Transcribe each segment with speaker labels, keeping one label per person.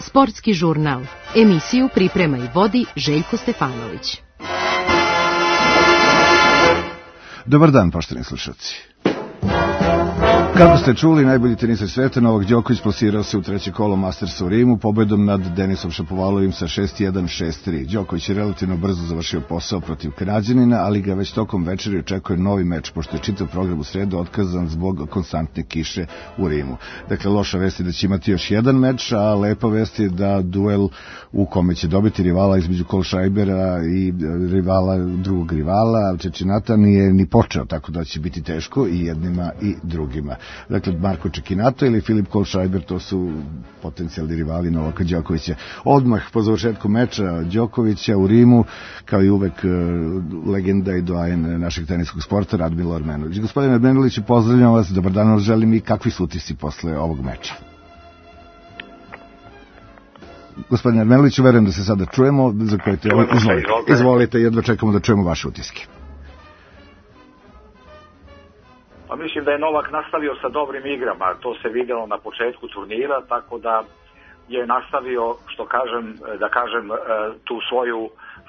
Speaker 1: Sportski žurnal. Emisiju priprema i vodi Željko Stefanović.
Speaker 2: Dobar dan, poštovani slušalci. Kako ste čuli, najbolji teniser sveta Novak Đoković plasirao se u treće kolo Mastersa u Rimu pobedom nad Denisom Šapovalovim sa 6-1, 6-3. Đoković je relativno brzo završio posao protiv Kanadjanina, ali ga već tokom večeri očekuje novi meč, pošto je čitav program u sredu otkazan zbog konstantne kiše u Rimu. Dakle, loša vest je da će imati još jedan meč, a lepa vest je da duel u kome će dobiti rivala između Kohlscheibera i drugog rivala, Cecchinato, nije ni počeo, tako da će biti teško i jednima i drugima. Dakle, Marko Cecchinato ili Filip Kohlscheiber, to su potencijalni rivali Novaka Đokovića. Odmah po završetku meča Đokovića u Rimu, kao i uvek legenda i doajen našeg teniskog sporta, Radmilo Armenović. Gospodine Armenoviću, pozdravljam vas, dobar dan, želim i kakvi su utisci posle ovog meča? Gospodine Armenoviću, verujem da se sada čujemo, izvolite, jedva čekamo da čujemo vaše utiske.
Speaker 3: Pa mislim da je Novak nastavio sa dobrim igrama, to se videlo na početku turnira, tako da je nastavio, tu svoju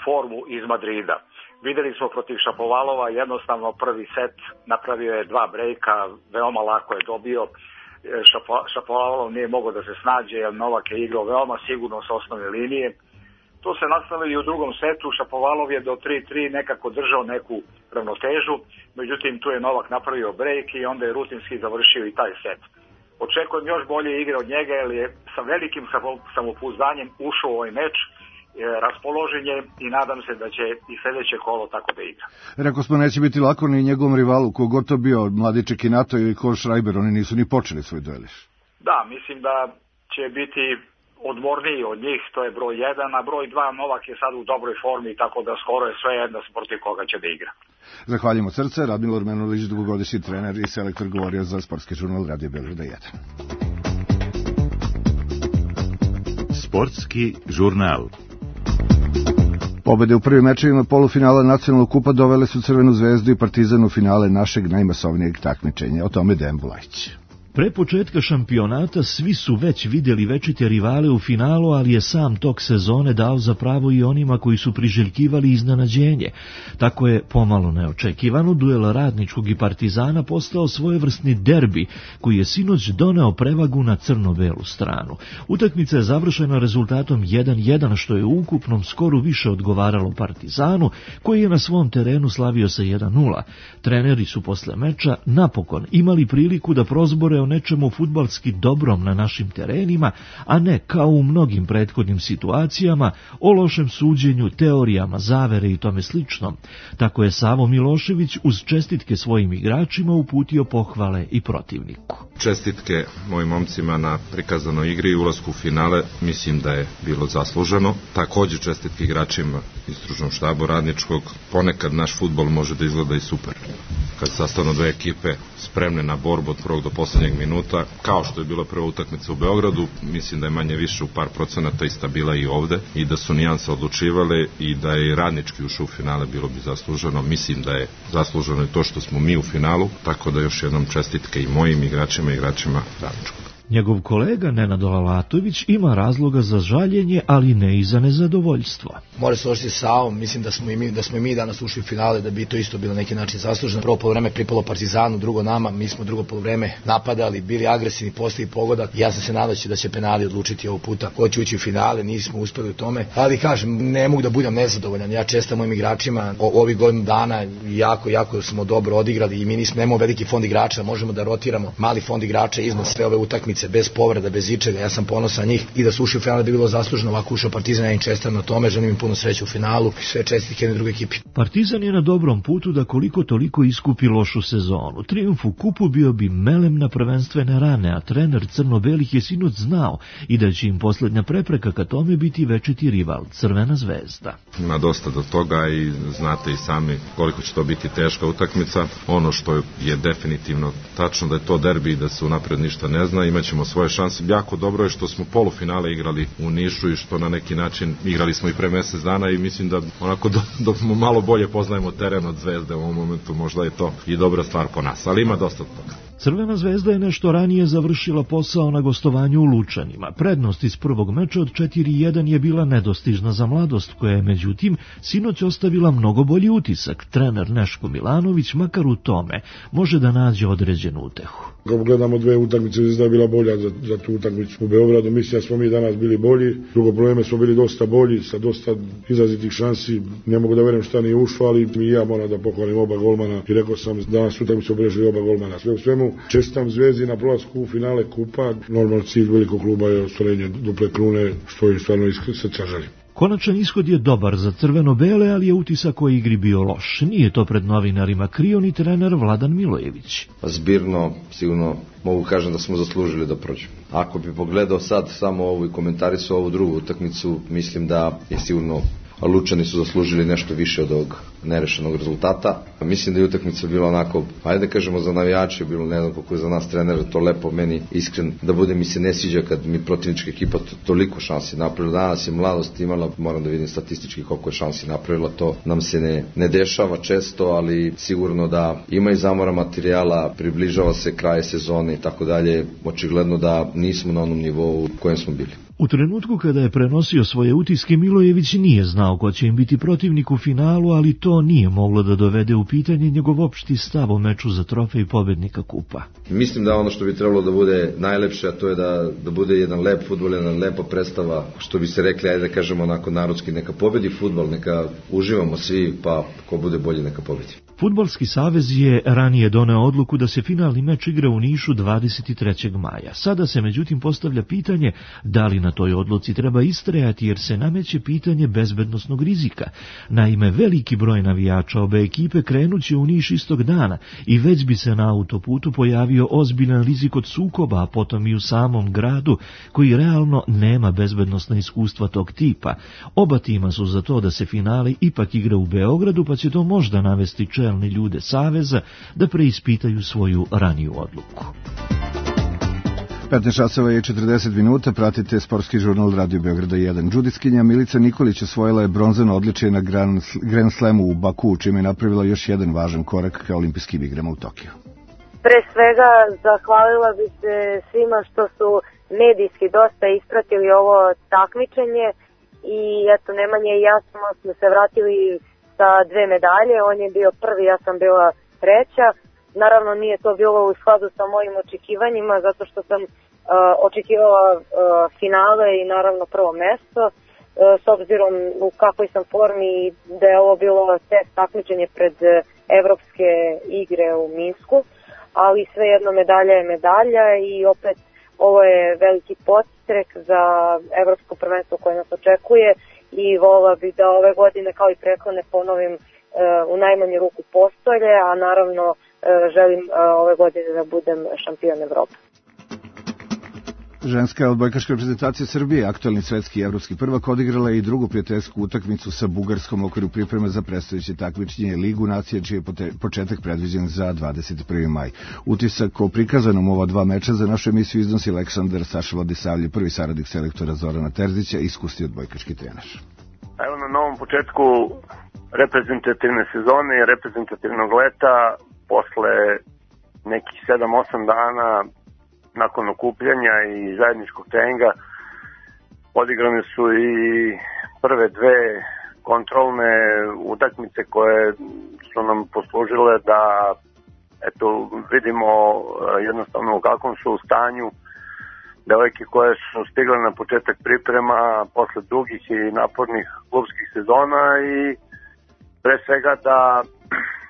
Speaker 3: formu iz Madrida. Videli smo protiv Šapovalova, jednostavno prvi set napravio je 2 brejka, veoma lako je dobio. Šapovalov nije mogao da se snađe, jer Novak je igrao veoma sigurno sa osnovne linije. To se nastavilo i u drugom setu, Šapovalov je do 3-3 nekako držao neku ravnotežu, međutim tu je Novak napravio brejk i onda je rutinski završio i taj set. Očekujem još bolje igre od njega, jer je sa velikim samopouzdanjem ušao u ovaj meč, raspoložen je i nadam se da će i sljedeće kolo tako da igra.
Speaker 2: Rekao smo, neće biti lako ni njegovom rivalu, kogod to bio, mladi Cecchinato ili Kohlschreiber, oni nisu ni počeli svoj dueliš.
Speaker 3: Da, mislim da će biti odmorniji od njih, to je broj 1, a broj 2 Novak je sad u dobroj formi, tako da skoro je sve jedno protiv koga će da igra.
Speaker 2: Zahvaljujem od srca, Radmilo Armenović, dugogodišnji trener i selektor, govorio za Sportski žurnal Radio Beograda 1.
Speaker 4: Sportski žurnal.
Speaker 2: Pobede u prvim mečevima polufinala nacionalnog kupa dovele su Crvenu zvezdu i Partizan u finale našeg najmasovnijeg takmičenja. O tome Dejan Bulajić.
Speaker 5: Pre početka šampionata svi su već vidjeli večite rivale u finalu, ali je sam tok sezone dao za pravo i onima koji su priželjkivali iznenađenje. Tako je pomalo neočekivano duel Radničkog i Partizana postao svojevrsni derbi, koji je sinoć doneo prevagu na crno-belu stranu. Utakmica je završena rezultatom 1-1, što je u ukupnom skoru više odgovaralo Partizanu, koji je na svom terenu slavio sa 1-0. Treneri su posle meča napokon imali priliku da prozbore o nečemu fudbalski dobrom na našim terenima, a ne kao u mnogim prethodnim situacijama o lošem suđenju, teorijama zavere i tome sličnom. Tako je Savo Milošević uz čestitke svojim igračima uputio pohvale i protivniku.
Speaker 6: Čestitke mojim momcima na prikazanoj igri i ulasku u finale, mislim da je bilo zasluženo. Također čestitke igračima iz stručnog štaba Radničkog. Ponekad naš fudbal može da izgleda i super, kad sastavno dve ekipe spremne na borbu od prvog do poslednjeg minuta, kao što je bila prva utakmica u Beogradu. Mislim da je manje više u par procenata ista bila i ovde i da su nijanse odlučivale i da je Radnički ušao u finale, bilo bi zasluženo. Mislim da je zasluženo i to što smo mi u finalu, tako da još jednom čestitke i mojim igračima i igračima Radničkog.
Speaker 5: Njegov kolega Nenad Lalatović ima razloga za žaljenje, ali ne i za nezadovoljstvo.
Speaker 7: Mora se složiti sa Savom, mislim da smo i mi danas ušli u finale, da bi to isto bilo neki način zasluženo. Prvo poluvreme pripalo Partizanu, drugo nama, mi smo drugo poluvreme napadali, bili agresivni, postigli pogodak. Ja sam se nadao da će penali odlučiti ovog puta ko će ući u finale, nismo uspeli u tome. Ali kažem, ne mogu da budem nezadovoljan. Ja čestitam mojim igračima, ovih godinu dana jako smo dobro odigrali i mi nemamo veliki fond igrača, možemo da rotiramo mali fond igrača iznad sve ove utakmice, bez povreda, bez ičega. Ja sam ponosan na njih i da su ušli u finale bi bilo zasluženo. Ovako ušao Partizan, ja im čestitam na tome, želim im puno sreće u finalu, sve čestitke jedne druge ekipi.
Speaker 5: Partizan je na dobrom putu da koliko toliko iskupi lošu sezonu. Trijumf u kupu bio bi melem na prvenstvene rane, a trener crno-belih je sinoć znao i da će im posljednja prepreka ka tome biti večiti rival, Crvena zvezda.
Speaker 6: Ima dosta do toga i znate i sami koliko će to biti teška utakmica. Ono što je definitivno tačno da je to derbi i da se unapred ništa ne zna, imaćemo svoje šanse. Jako dobro je što smo polufinale igrali u Nišu i što na neki način igrali smo i pre mesec dana i mislim da onako dok malo bolje poznajemo teren od Zvezde u ovom momentu, možda je to i dobra stvar po nas, ali ima dosta toga.
Speaker 5: Crvena zvezda je nešto ranije završila posao na gostovanju u Lučanima. Prednost iz prvog meča od 4:1 je bila nedostižna za Mladost, koja je međutim sinoć ostavila mnogo bolji utisak. Trener Neško Milanović makar u tome može da nađe određenu utehu.
Speaker 4: Kako gledamo dve utakmice, Zvezda je bila bolja za tu utakmicu u Beogradu. Mislim da smo mi danas bili bolji. Drugo probleme smo bili dosta bolji, sa dosta izrazitih šansi. Ne mogu da verujem šta nije ušlo, ali i ja moram da pohvalim oba golmana. I rekao sam, danas utakmicu obeležili oba golmana. Sve u svemu, čestitam Zvezdi na prolasku u finale kupa. Normalno cilj velikog kluba je ostvarenje duple krune, što je stvarno iz srca želim.
Speaker 5: Konačan ishod je dobar za crveno-bele, ali je utisak o igri bio loš. Nije to pred novinarima krio ni trener Vladan Milojević.
Speaker 8: Zbirno, sigurno mogu kažem da smo zaslužili da prođemo. Ako bi pogledao sad samo ovo i komentarisao ovu drugu utakmicu, mislim da je sigurno Lučani su zaslužili nešto više od ovog nerešenog rezultata. Mislim da je utakmica bila onako, ajde da kažemo za navijače, bilo ne znam koliko je za nas trenera to lepo, meni iskren da bude mi se ne sviđa kad mi protivnička ekipa toliko šansi napravila. Danas je Mladost imala, moram da vidim statistički koliko je šansi napravila, to nam se ne dešava često, ali sigurno da ima i zamora materijala, približava se kraj sezone i tako dalje, očigledno da nismo na onom nivou kojem smo bili.
Speaker 5: U trenutku kada je prenosio svoje utiske, Milojević nije znao ko će im biti protivnik u finalu, ali to nije moglo da dovede u pitanje njegov opšti stav o meču za trofej pobednika kupa.
Speaker 8: Mislim da ono što bi trebalo da bude najlepše, a to je da bude jedan lep fudbal, jedna lepa predstava, što bi se rekli, ajde da kažemo onako narodski, neka pobedi fudbal, neka uživamo svi, pa ko bude bolji neka pobedi.
Speaker 5: Fudbalski savez je ranije doneo odluku da se finalni meč igra u Nišu 23. maja. Sada se međutim postavlja pitanje da li na toj odluci treba istrajati, jer se nameće pitanje bezbednosnog rizika. Naime, veliki broj navijača obe ekipe krenuće u Niš istog dana i već bi se na autoputu pojavio ozbiljan rizik od sukoba, a potom i u samom gradu, koji realno nema bezbednosna iskustva tog tipa. Oba tima su za to da se finale ipak igra u Beogradu, pa će to možda navesti čelni ljude saveza da preispitaju svoju raniju odluku.
Speaker 2: 15 časova i 40 minuta, pratite sportski žurnal Radio Beograda 1. Džudiskinja Milica Nikolić osvojila je bronzano odličje na Grand Slamu u Baku, čime je napravila još jedan važan korak ka olimpijskim igrama u Tokiju.
Speaker 9: Pre svega zahvalila bi se svima što su medijski dosta ispratili ovo takmičenje i eto, Nemanja i ja smo se vratili sa 2 medalje, on je bio prvi, ja sam bila treća. Naravno nije to bilo u skladu sa mojim očekivanjima, zato što sam očekivala finale i naravno prvo mesto, s obzirom u kakvoj sam formi i da je ovo bilo test takmičenje pred evropske igre u Minsku, ali svejedno medalja je medalja i opet ovo je veliki podstrek za evropsko prvenstvo koje nas očekuje i volila bi da ove godine kao i prethodne ponovim u najmanju ruku postolje, a naravno želim ove godine da budem šampion Evrope.
Speaker 2: Ženska odbojkaška reprezentacija Srbije, aktualni svetski i evropski prvak, odigrala je i drugu prijateljsku utakmicu sa Bugarskom u okviru pripreme za predstojeće takmičenje Ligu nacije, čiji je početak predviđen za 21. maj. Utisak o prikazanom ova dva meča za našu emisiju iznosi Aleksandar Saša Vladisavlje, prvi saradnik selektora Zorana Terzića, iskusni odbojkaški trener.
Speaker 10: Evo na novom početku reprezentativne sezone i reprezentativnog leta, posle nekih 7-8 dana nakon okupljanja i zajedničkog treninga, odigrane su i prve dve kontrolne utakmice koje su nam poslužile da vidimo jednostavno u kakvom su u stanju devojke koje su stigle na početak priprema posle dugih i napornih klubskih sezona i pre svega da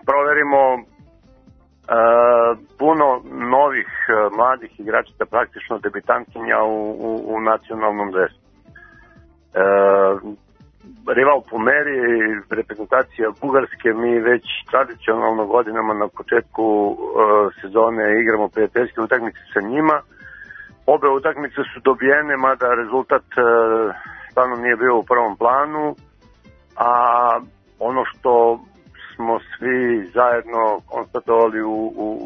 Speaker 10: proverimo puno novih mladih igračica, praktično debitantkinja u nacionalnom dresu. Rival po meri, reprezentacija Bugarske, mi već tradicionalno godinama na početku sezone igramo prijateljske utakmice sa njima. Obe utakmice su dobijene, mada rezultat stvarno nije bio u prvom planu, a ono što smo svi zajedno konstatovali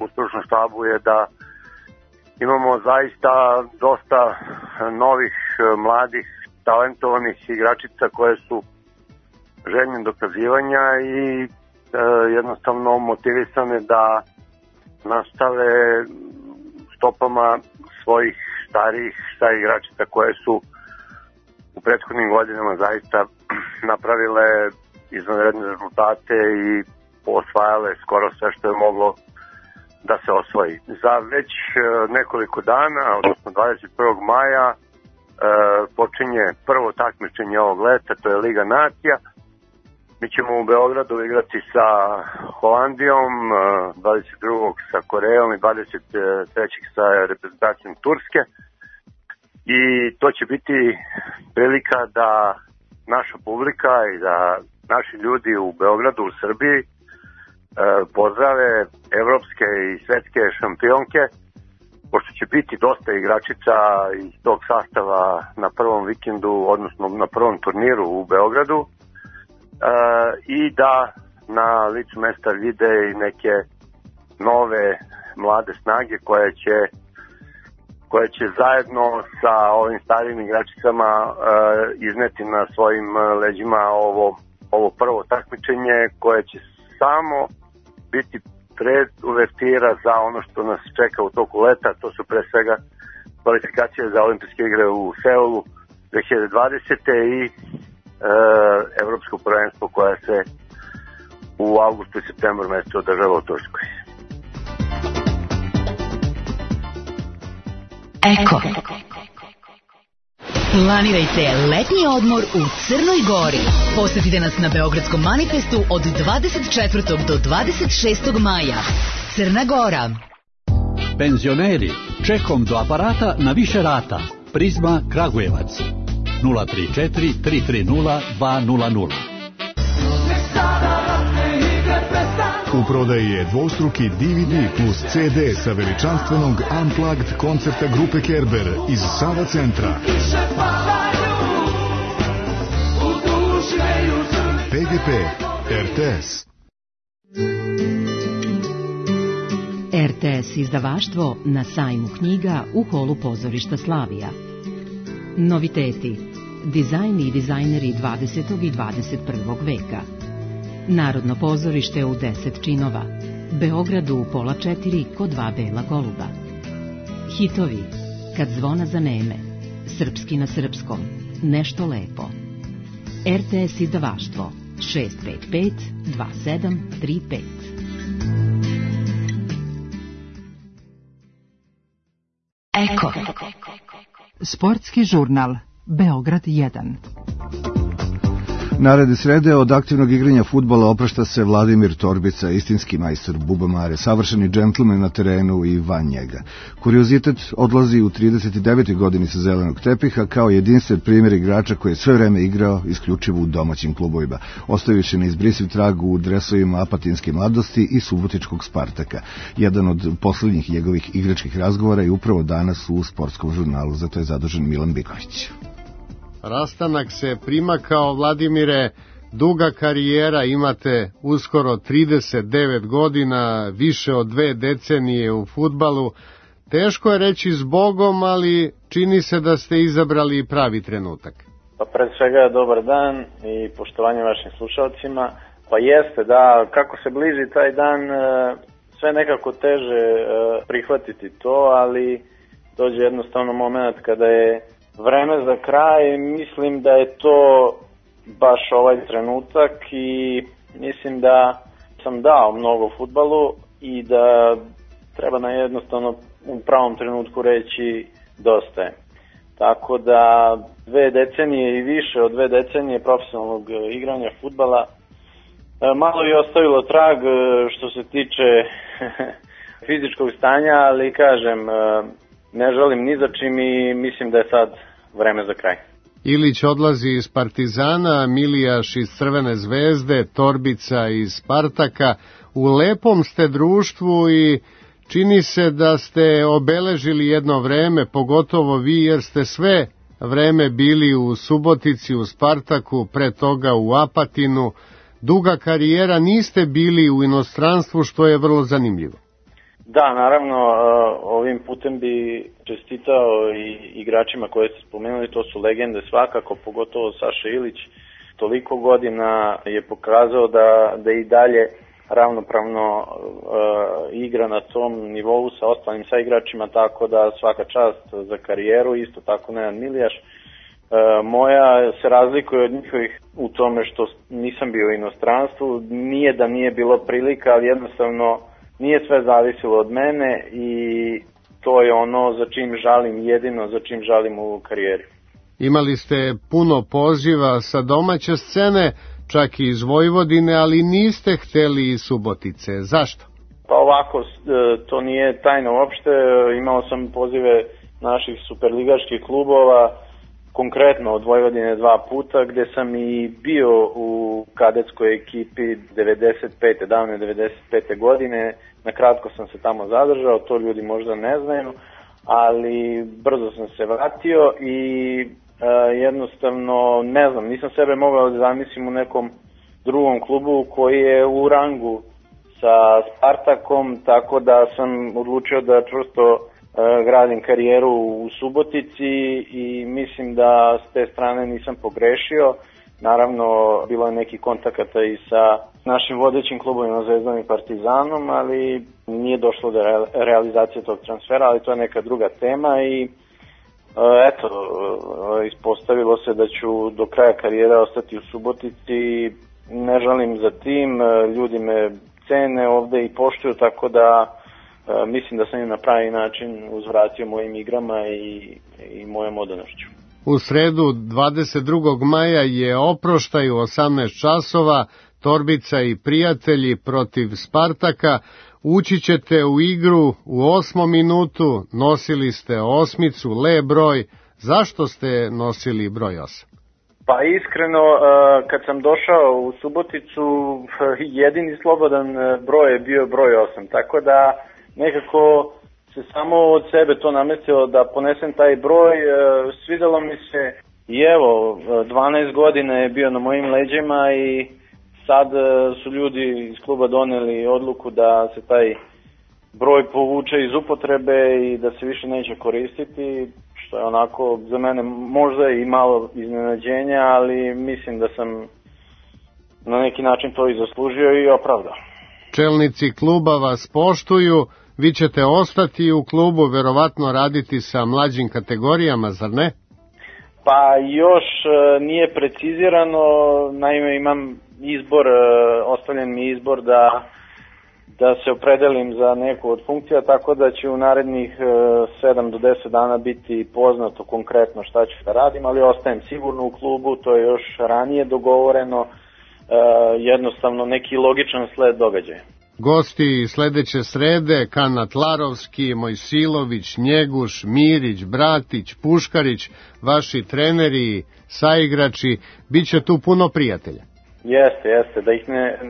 Speaker 10: u stručnom štabu je da imamo zaista dosta novih, mladih, talentovanih igračica koje su željne dokazivanja i jednostavno motivisane da nastave stopama svojih starijih igračica koje su u prethodnim godinama zaista napravile izvanredne rezultate i osvajale skoro sve što je moglo da se osvoji. Za već nekoliko dana, odnosno 21. maja, počinje prvo takmičenje ovog leta, to je Liga Nacija. Mi ćemo u Beogradu igrati sa Holandijom, 22. sa Korejom i 23. sa reprezentacijom Turske. I to će biti prilika da naša publika i da naši ljudi u Beogradu, u Srbiji, pozdrave evropske i svetske šampionke, pošto će biti dosta igračica iz tog sastava na prvom vikendu, odnosno na prvom turniru u Beogradu, i da na licu mesta vide i neke nove mlade snage koje će zajedno sa ovim starijim igračicama izneti na svojim leđima ovo prvo takmičenje koje će samo biti preduvertira za ono što nas čeka u toku leta. To su pre svega kvalifikacije za olimpijske igre u Seulu 2020. i evropsko prvenstvo koje se u avgustu i septembru mesecu održava u Turskoj.
Speaker 11: Eko. Planirajte letnji odmor u Crnoj Gori. Posetite nas na Beogradskom manifestu od 24. do 26. maja. Crna Gora.
Speaker 12: Penzioneri, čekom do aparata na više rata. Prizma Kragujevac. 034 330 200.
Speaker 13: U prodaji je dvostruki DVD plus CD sa veličanstvenog Unplugged koncerta grupe Kerber iz Sava centra. PGP RTS.
Speaker 1: RTS izdavaštvo na sajmu knjiga u holu pozorišta Slavija. Noviteti. Dizajn i dizajneri 20. i 21. veka. Narodno pozorište u 10 činova. Beogradu u 3:30 kod 2 bela goluba. Hitovi. Kad zvona zaneme. Srpski na srpskom. Nešto lepo. RTS izdavaštvo 655 2735.
Speaker 11: Eko.
Speaker 14: Sportski žurnal Beograd 1.
Speaker 2: Naredne srede od aktivnog igranja fudbala oprašta se Vladimir Torbica, istinski majstor bubamare, savršeni džentlmen na terenu i van njega. Kuriozitet odlazi u 39. godini sa zelenog tepiha kao jedinstven primjer igrača koji je sve vreme igrao isključivo u domaćim klubovima, ostavivši neizbrisiv trag u dresovima apatinske mladosti i subotičkog Spartaka. Jedan od poslednjih njegovih igračkih razgovora je upravo danas u sportskom žurnalu, zato je zadužen Milan Biković.
Speaker 15: Rastanak se primakao, Vladimire, duga karijera, imate uskoro 39 godina, više od 2 decenije u fudbalu. Teško je reći zbogom, ali čini se da ste izabrali pravi trenutak.
Speaker 16: Pa pred svega dobar dan i poštovanje vašim slušalcima. Pa jeste, da, kako se bliži taj dan, sve nekako teže prihvatiti to, ali dođe jednostavno moment kada je vreme za kraj. Mislim da je to baš ovaj trenutak i mislim da sam dao mnogo fudbalu i da treba na jednostavno u pravom trenutku reći dosta je. Tako da 2 decenije i više od 2 decenije profesionalnog igranja fudbala malo je ostavilo trag što se tiče fizičkog stanja, ali kažem, ne želim ni za čim i mislim da je sad vreme za kraj.
Speaker 15: Ilić odlazi iz Partizana, Milijaš iz Crvene zvezde, Torbica iz Spartaka. U lepom ste društvu i čini se da ste obeležili jedno vreme, pogotovo vi, jer ste sve vreme bili u Subotici, u Spartaku, pre toga u Apatinu. Duga karijera, niste bili u inostranstvu, što je vrlo zanimljivo.
Speaker 16: Da, naravno, ovim putem bi čestitao i igračima koje ste spomenuli, to su legende svakako, pogotovo Saša Ilić. Toliko godina je pokazao da i dalje ravnopravno igra na tom nivou sa ostalim saigračima, tako da svaka čast za karijeru, isto tako Nenad Milijaš. Moja se razlikuje od njihovih u tome što nisam bio u inostranstvu, nije da nije bilo prilika, ali jednostavno nije sve zavisilo od mene i to je ono za čim žalim, jedino za čim žalim u karijeri.
Speaker 15: Imali ste puno poziva sa domaće scene, čak i iz Vojvodine, ali niste hteli iz Subotice. Zašto?
Speaker 16: Pa ovako, to nije tajno uopšte. Imao sam pozive naših superligaških klubova, konkretno od Vojvodine 2 puta, gde sam i bio u kadetskoj ekipi 95. davne 95. godine. Na kratko sam se tamo zadržao, to ljudi možda ne znaju, ali brzo sam se vratio i jednostavno, ne znam, nisam sebe mogao da zamislim u nekom drugom klubu koji je u rangu sa Spartakom, tako da sam odlučio da čvrsto gradim karijeru u Subotici i mislim da s te strane nisam pogrešio. Naravno, bilo je neki kontakata i sa našim vodećim klubovima Zvezdom i Partizanom, ali nije došlo do realizacije tog transfera, ali to je neka druga tema i eto, ispostavilo se da ću do kraja karijere ostati u Subotici. Ne žalim za tim, ljudi me cene ovde i poštuju, tako da mislim da sam im na pravi način uzvratio mojim igrama i mojom odanošću.
Speaker 15: U sredu 22. maja je oproštaj u 18 časova, Torbica i prijatelji protiv Spartaka. Ući ćete u igru u 8. minutu, nosili ste osmicu, le broj. Zašto ste nosili broj 8?
Speaker 16: Pa iskreno, kad sam došao u Suboticu, jedini slobodan broj je bio broj 8, tako da nekako se samo od sebe to namestilo da ponesem taj broj. Svidelo mi se i evo, 12 godina je bio na mojim leđima i sad su ljudi iz kluba doneli odluku da se taj broj povuče iz upotrebe i da se više neće koristiti, što je onako za mene možda i malo iznenađenja, ali mislim da sam na neki način to i zaslužio i opravdao.
Speaker 15: Čelnici kluba vas poštuju, vi ćete ostati u klubu, verovatno raditi sa mlađim kategorijama, zar ne?
Speaker 16: Pa još nije precizirano, naime imam izbor, ostavljen mi izbor da se opredelim za neku od funkcija, tako da će u narednih 7 do 10 dana biti poznato konkretno šta ću da radim, ali ostajem sigurno u klubu, to je još ranije dogovoreno, jednostavno neki logičan sled događaja.
Speaker 15: Gosti sledeće srede, Kanat Larovski, Mojsilović, Njeguš, Mirić, Bratić, Puškarić, vaši treneri, saigrači, bit će tu puno prijatelja.
Speaker 16: Jeste,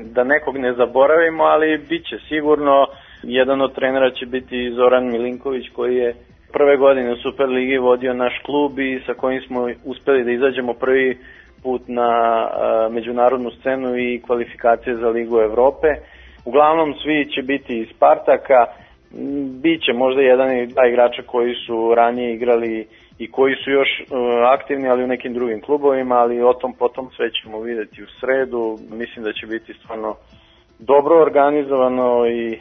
Speaker 16: da nekog ne zaboravimo, ali bit će sigurno. Jedan od trenera će biti Zoran Milinković, koji je prve godine u Superligi vodio naš klub i sa kojim smo uspeli da izađemo prvi put na međunarodnu scenu i kvalifikacije za Ligu Evrope. Uglavnom svi će biti iz Spartaka, bit će možda jedan ili dva igrača koji su ranije igrali i koji su još aktivni, ali u nekim drugim klubovima, ali o tom potom sve ćemo videti u sredu. Mislim da će biti stvarno dobro organizovano i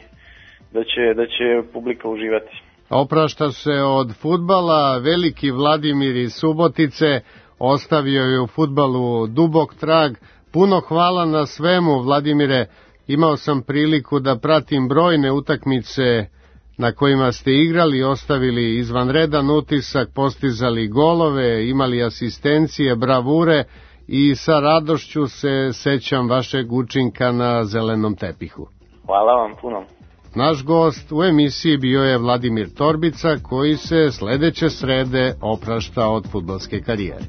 Speaker 16: da će publika uživati.
Speaker 15: Oprašta se od fudbala, veliki Vladimir iz Subotice, ostavio je u fudbalu dubok trag. Puno hvala na svemu, Vladimire. Imao sam priliku da pratim brojne utakmice na kojima ste igrali, ostavili izvanredan utisak, postizali golove, imali asistencije, bravure i sa radošću se sećam vašeg učinka na zelenom tepihu.
Speaker 16: Hvala vam puno.
Speaker 15: Naš gost u emisiji bio je Vladimir Torbica, koji se sledeće srede oprašta od fudbalske karijere.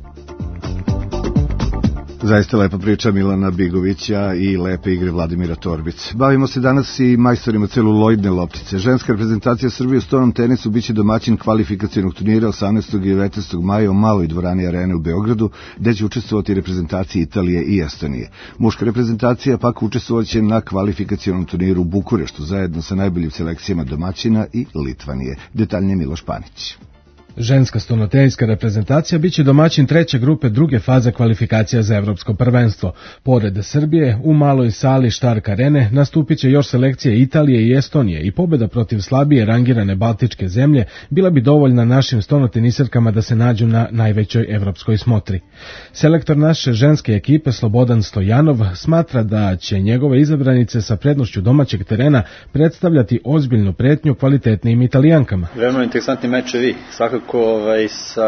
Speaker 2: Zaista lepa priča Milana Bigovića i lepe igre Vladimira Torbice. Bavimo se danas i majstorima celuloidne loptice. Ženska reprezentacija Srbije u stonom tenisu biće domaćin kvalifikacionog turnira 18. i 19. maja u maloj dvorani Arene u Beogradu, gde će učestvovati reprezentacije Italije i Estonije. Muška reprezentacija pak učestvovaće na kvalifikacionom turniru u Bukureštu zajedno sa najboljim selekcijama domaćina i Litvanije. Detaljnije Miloš Panić.
Speaker 17: Ženska stolnotenijska reprezentacija biće domaćin treće grupe druge faze kvalifikacija za evropsko prvenstvo. Pored Srbije, u maloj sali Stark Arene nastupit će još selekcije Italije i Estonije i pobjeda protiv slabije rangirane baltičke zemlje bila bi dovoljna našim stolnoteniserkama da se nađu na najvećoj evropskoj smotri. Selektor naše ženske ekipe Slobodan Stojanov smatra da će njegove izabranice sa prednošću domaćeg terena predstavljati ozbiljnu pretnju kvalitetnim Italijankama.
Speaker 18: Veoma interesantni mečevi. Svakako sa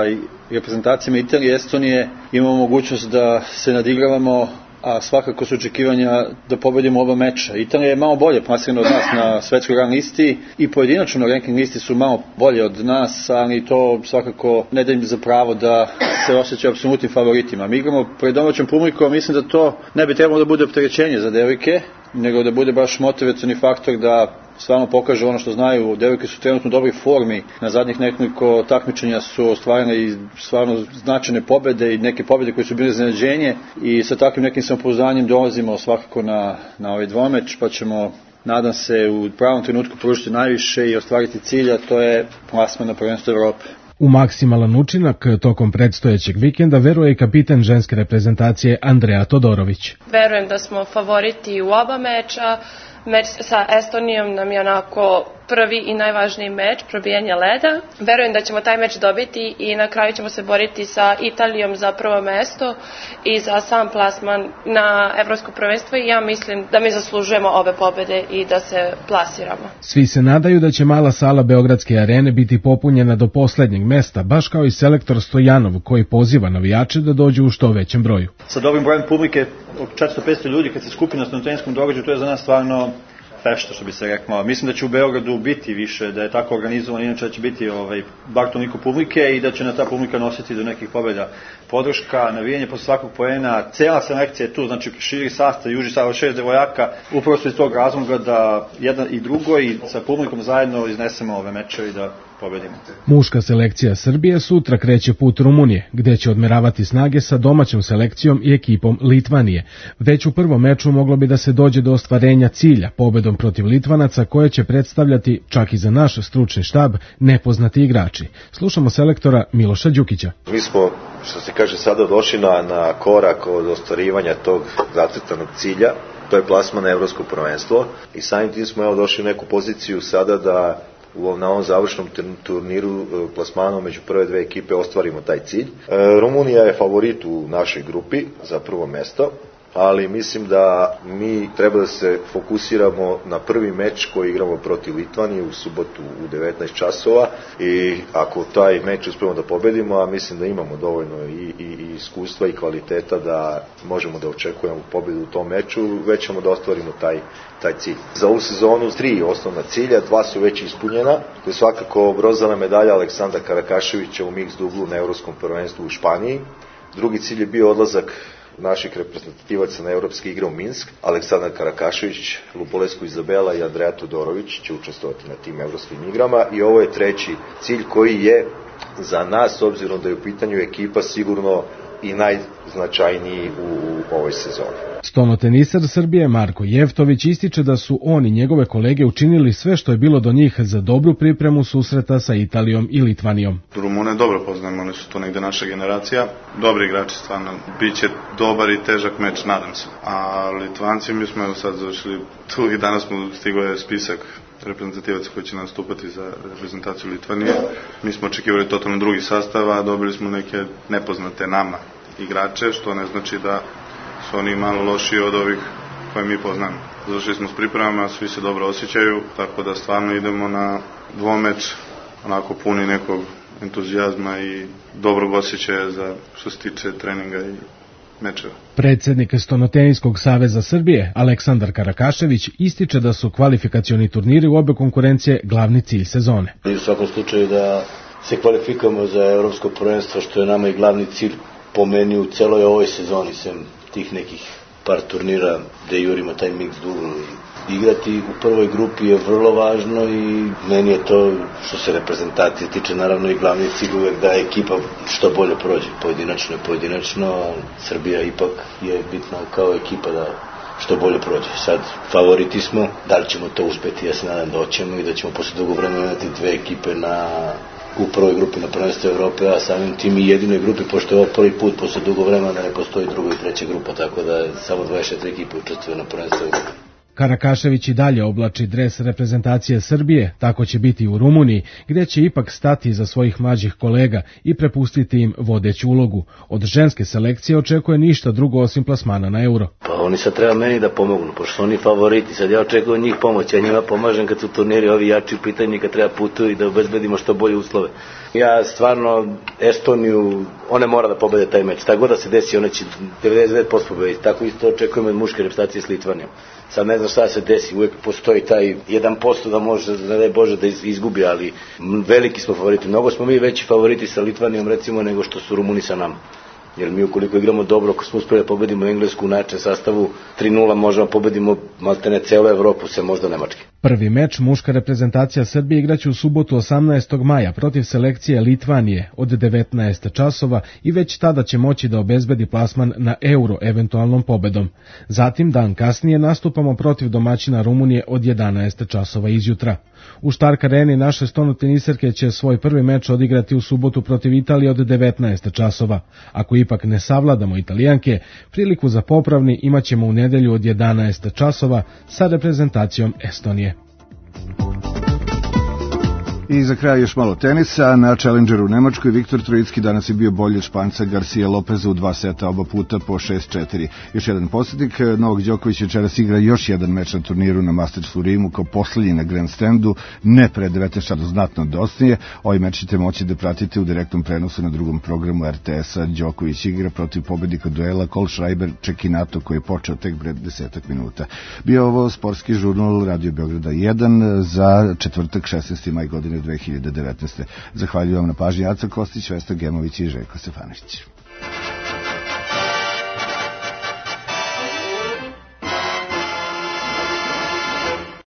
Speaker 18: reprezentacijama Italije i Estonije imamo mogućnost da se nadigravamo, a svakako su očekivanja da pobedimo oba meča. Italija je malo bolje plasirana od nas na svetskoj rang listi i pojedinačno na ranking listi su malo bolje od nas, ali to svakako ne da im za pravo da se osjećaju apsolutnim favoritima. Mi igramo pred domaćom publikom, mislim da to ne bi trebalo da bude opterećenje za devojke, nego da bude baš motivacioni faktor da stvarno pokažu ono što znaju. Devojke su trenutno u dobroj formi, na zadnjih nekoliko takmičenja su ostvarene i stvarno značajne pobede i neke pobede koje su bile iznenađenje i sa takvim nekim samopouzdanjem dolazimo svakako na ovaj dvomeč, pa ćemo, nadam se, u pravom trenutku pružiti najviše i ostvariti cilj, a to je plasman na prvenstvo Evrope.
Speaker 17: U maksimalan učinak tokom predstojećeg vikenda veruje i kapiten ženske reprezentacije Andreja Todorović.
Speaker 19: Verujem da smo favoriti u oba meča. Meč sa Estonijom nam je onako prvi i najvažniji meč, probijanje leda. Verujem da ćemo taj meč dobiti i na kraju ćemo se boriti sa Italijom za prvo mesto i za sam plasman na evropsko prvenstvo i ja mislim da mi zaslužujemo ove pobede i da se plasiramo.
Speaker 17: Svi se nadaju da će mala sala Beogradske arene biti popunjena do poslednjeg mesta, baš kao i selektor Stojanov koji poziva navijače da dođu u što većem broju.
Speaker 18: Sa dobrim brojem publike, oko 400-500 ljudi kad se skupi na stolnotenijeskom događaju, to je za nas stvarno fešta, što bi se rekao. Mislim da će u Beogradu biti više, da je tako organizovan, inače da će biti bar toliko publike i da će na ta publika nositi do nekih pobjeda. Podrška, navijanje posle svakog poena, cela selekcija je tu, znači širi sastav, juži sastav 6 devojaka, upravo su iz tog razloga da jedan i drugo i sa publikom zajedno iznesemo ove mečeve i da pobedimo.
Speaker 17: Muška selekcija Srbije sutra kreće put Rumunije, gde će odmeravati snage sa domaćom selekcijom i ekipom Litvanije. Već u prvom meču moglo bi da se dođe do ostvarenja cilja, pobedom protiv Litvanaca, koje će predstavljati, čak i za naš stručni štab, nepoznati igrači. Slušamo selektora Miloša Đukića.
Speaker 20: Mi smo, što se kaže, sada došli na korak od ostvarivanja tog zacrtanog cilja, to je plasman na evropsko prvenstvo i samim tim smo došli u neku poziciju sada da na ovom završnom turniru plasmanom među prve dve ekipe ostvarimo taj cilj. Rumunija je favorit u našoj grupi za prvo mesto, ali mislim da mi treba da se fokusiramo na prvi meč koji igramo protiv Litvanije u subotu u 19 časova i ako taj meč uspemo da pobedimo, a mislim da imamo dovoljno i iskustva i kvaliteta da možemo da očekujemo pobedu u tom meču, već ćemo da ostvarimo taj cilj. Za ovu sezonu 3 osnovna cilja, 2 su već ispunjena, to je svakako bronzana medalja Aleksandra Karakaševića u mix dublu na evropskom prvenstvu u Španiji. Drugi cilj je bio odlazak naših reprezentativaca na evropske igre u Minsk. Aleksandar Karakašević, Lupolescu Izabela i Andreja Todorović će učestvovati na tim evropskim igrama i ovo je treći cilj koji je za nas, s obzirom da je u pitanju ekipa, sigurno i najznačajniji u ovoj sezoni.
Speaker 17: Stolnotenisar Srbije Marko Jevtović ističe da su on i njegove kolege učinili sve što je bilo do njih za dobru pripremu susreta sa Italijom i Litvanijom.
Speaker 21: Rumune dobro poznajemo, oni su to negde naša generacija, dobri igrači stvarno, biće dobar i težak meč, nadam se. A Litvanci, mi smo sad završili tu i danas smo stigao spisak reprezentativaca koji će nastupati za reprezentaciju Litvanije. Mi smo očekivali totalno drugi sastav, a dobili smo neke nepoznate nama igrače, što ne znači da su oni malo lošiji od ovih koje mi poznamo. Završili smo s pripremama, svi se dobro osjećaju, tako da stvarno idemo na dvomeč, onako puni nekog entuzijazma i dobrog osjećaja za što se tiče treninga i mečeva.
Speaker 17: Predsednik Stolnotenijskog saveza Srbije, Aleksandar Karakašević, ističe da su kvalifikacioni turniri u obe konkurencije glavni cilj sezone.
Speaker 22: U svakom slučaju da se kvalifikujemo za evropsko prvenstvo, što je nama i glavni cilj po meni u celoj ovoj sezoni, sem tih nekih par turnira gde jurimo taj mix dubl. Igrati u prvoj grupi je vrlo važno i meni je to, što se reprezentacije tiče, naravno i glavni cilj uvek da ekipa što bolje prođe. Pojedinačno, Srbija ipak je bitna kao ekipa da što bolje prođe. Sad favoriti smo, da li ćemo to uspeti, ja se nadam da hoćemo i da ćemo posle dugo vremena imati dve ekipe u prvoj grupi na prvenstvu Evrope, a samim tim i jedinoj grupi, pošto je ovo prvi put posle dugo vremena da ne postoji druga i treća grupa, tako da samo 24 ekipe učestvuju na prvenstvu Evrope.
Speaker 17: Karakašević i dalje oblači dres reprezentacije Srbije, tako će biti i u Rumuniji, gdje će ipak stati iza svojih mlađih kolega i prepustiti im vodeću ulogu. Od ženske selekcije očekuje ništa drugo osim plasmana na Euro.
Speaker 22: Pa oni sad treba meni da pomognu, pošto su oni favoriti, sad ja očekujem njih pomoć, ja njima pomažem kad su turniri ovi jači u pitanju, kad treba putuju i da obezbedimo što bolje uslove. Ja stvarno Estoniju, one mora da pobede taj meč, tako god da se desi, one će 99% pobediti, tako isto očekujemo od muške reprezentacije s Litvanijom. Sad ne znam šta se desi, uvijek postoji taj 1% da može, ne daj Bože, da izgubi, ali veliki smo favoriti. Mnogo smo mi veći favoriti sa Litvanijom, recimo, nego što su Rumuni sa nama. Jer mi ukoliko igramo dobro, ako smo uspjeli da pobedimo Englesku u najjačem sastavu 3-0, možemo pobedimo maltene celu Evropu, se možda Nemačke.
Speaker 17: Prvi meč muška reprezentacija Srbije igraće u subotu 18. maja protiv selekcije Litvanije od 19 časova i već tada će moći da obezbedi plasman na Euro eventualnom pobedom. Zatim dan kasnije nastupamo protiv domaćina Rumunije od 11 časova izjutra. U Stark Areni naše stonoteniserke će svoj prvi meč odigrati u subotu protiv Italije od 19 časova. Ako ipak ne savladamo Italijanke, priliku za popravni imaćemo u nedelju od 11 časova sa reprezentacijom Estonije.
Speaker 2: I za kraj još malo tenisa. Na Challengeru u Nemačkoj Viktor Trojicki danas je bio bolji od Španca Garcia Lopeza u 2 seta, oba puta po 6-4. Još jedan podsjetnik, Novak Đoković večeras igra još jedan meč na turniru na Mastersu u Rimu kao poslednji na Grand Standu, ne pre 19 znatno docnije. Ovaj meč ćete moći da pratite u direktnom prenosu na drugom programu RTS-a. Đoković igra protiv pobednika duela Kohlschreiber Cecchinato koji je počeo tek pre 10 minuta. Bio ovo sportski žurnal Radio Beograda 1 za četvrtak 16. maj godine 2019. Zahvaljujem vam na pažnji Aca Kostić, Vesna Gemović i Željko Stefanović.